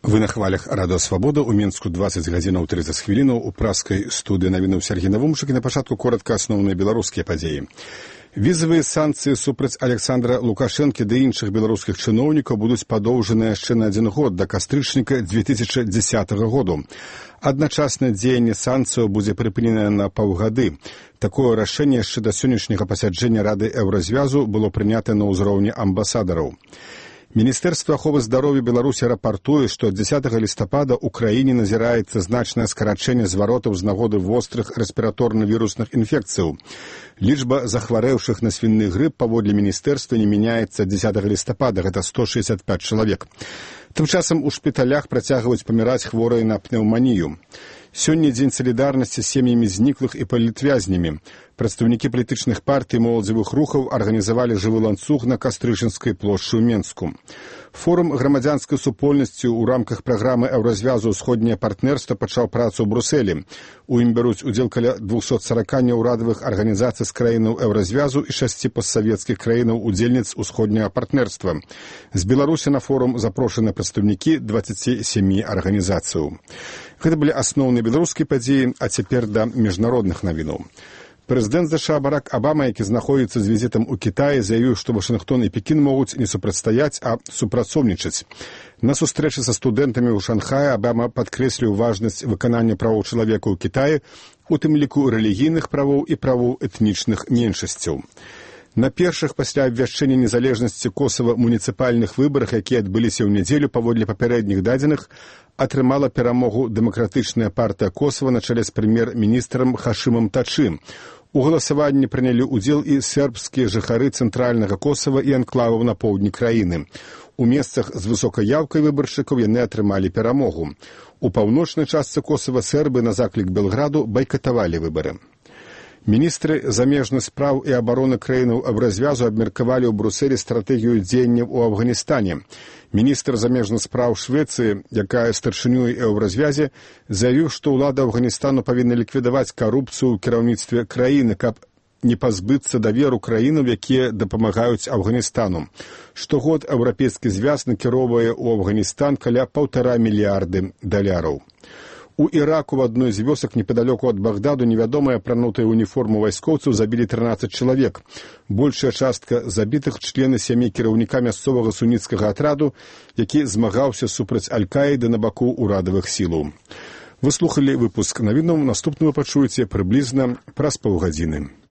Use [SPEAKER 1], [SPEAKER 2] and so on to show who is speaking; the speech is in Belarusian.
[SPEAKER 1] Вы на хвалях Радыё Свабода. У Мінску 20 гадзінаў 30 хвілінаў. У праскай студыі навінуў Сергей Навумчык. І на пачатку коротка асноўныя беларускія падзеі. Візавыя санкцыі супраць Александра Лукашэнкі ды іншых беларускіх чыноўнікаў будуць падоўжаныя яшчэ на 1 год да кастрычніка 2010 году. Адначасна дзеянне санкцыяў будзе прыпыненае на паўгады. Такое рашэнне яшчэ да сённяшняга пасяджэння Рады Еўразвязу было прынята на ўзроўні амбасадараў. Міністэрства аховы здароўя Беларусі рапартуе, што 10 лістапада ў краіне назіраецца значнае скарачэнне зваротаў з нагоды вострых рэспіраторна-вірусных інфекцыяў. Лічба захварэўшых на свінны грып паводле міністэрства не мяняецца 10 лістапада, гэта 165 чалавек. Тым часам у шпіталях працягваюць паміраць хворыя на пнеўманію. Сёння дзень салідарнасці з сем'ямі зніклых і палітвязнямі. Прадстаўнікі палітычных партый моладзевых рухаў арганізавалі жывы ланцуг на Кастрычынскай плошчы ў Менску. Форум грамадзянскай супольнасці ў рамках праграмы Еўразвязу «Усходняе партнерства» пачаў працу ў Брусэлі. У ім бяруць удзел каля 240 неўрадавых арганізацый з краінаў Еўразвязу і 6 постсавецкіх краінаў удзельніц Усходняга партнерства. З Беларусі на форум запрошаны прадстаўнікі 27 арганізацыяў. Гэта былі асноўныя беларускія падзеі, а цяпер да міжнародных навінаў. Прэзідэнт США Барак Абама, які знаходзіцца з візітам у Кітаі, заявіў, што Вашынгтон і Пекін могуць не супрацьстаяць, а супрацоўнічаць. На сустрэчы са студэнтамі ў Шанхаі Абама падкрэсліў важнасць выканання правоў чалавека ў Кітаі, у тым ліку рэлігійных правоў і правоў этнічных меншасцяў. На першых пасля абвяшчэння незалежнасці Косава муніцыпальных выбарах, якія адбыліся ў нядзелю паводле папярэдніх дадзеных, атрымала перамогу дэмакратычная партыя Косава на чале з прэм'ер-міністрам Хашымам Тачы. У галасаванні прынялі ўдзел і сербскія жыхары цэнтральнага Косава і анклаваў на поўдні краіны. У месцах з высокай яўкай выбаршчыкаў яны атрымалі перамогу. У паўночнай частцы Косава сербы на заклік Белграду байкатавалі выбары. Міністры замежных спраў і абароны краінаў Еўразвязу абмеркавалі ў Брусэлі стратэгію дзеянняў у Афганістане. Міністр замежных спраў Швецыі, якая старшынюе Еўразвязе, заявіў, што ўлада Афганістану павінна ліквідаваць карупцыю ў кіраўніцтве краіны, каб не пазбыцца даверу краінаў, якія дапамагаюць Афганістану. Штогод Еўрапейскі звяз накіроўвае ў Афганістан каля $1,5 мільярда. У Іраку в адной з вёсак непадалёку ад Багдаду невядомыя апранутыя уніформу вайскоўцаў забілі 13 чалавек. Большая частка забітых члены сям'і кіраўніка мясцовага суніцкага атраду, які змагаўся супраць Аль-Каіды на баку ўрадавых сілаў. Вы слухалі выпуск навінаў, наступны вы пачуеце прыблізна праз паўгадзіны.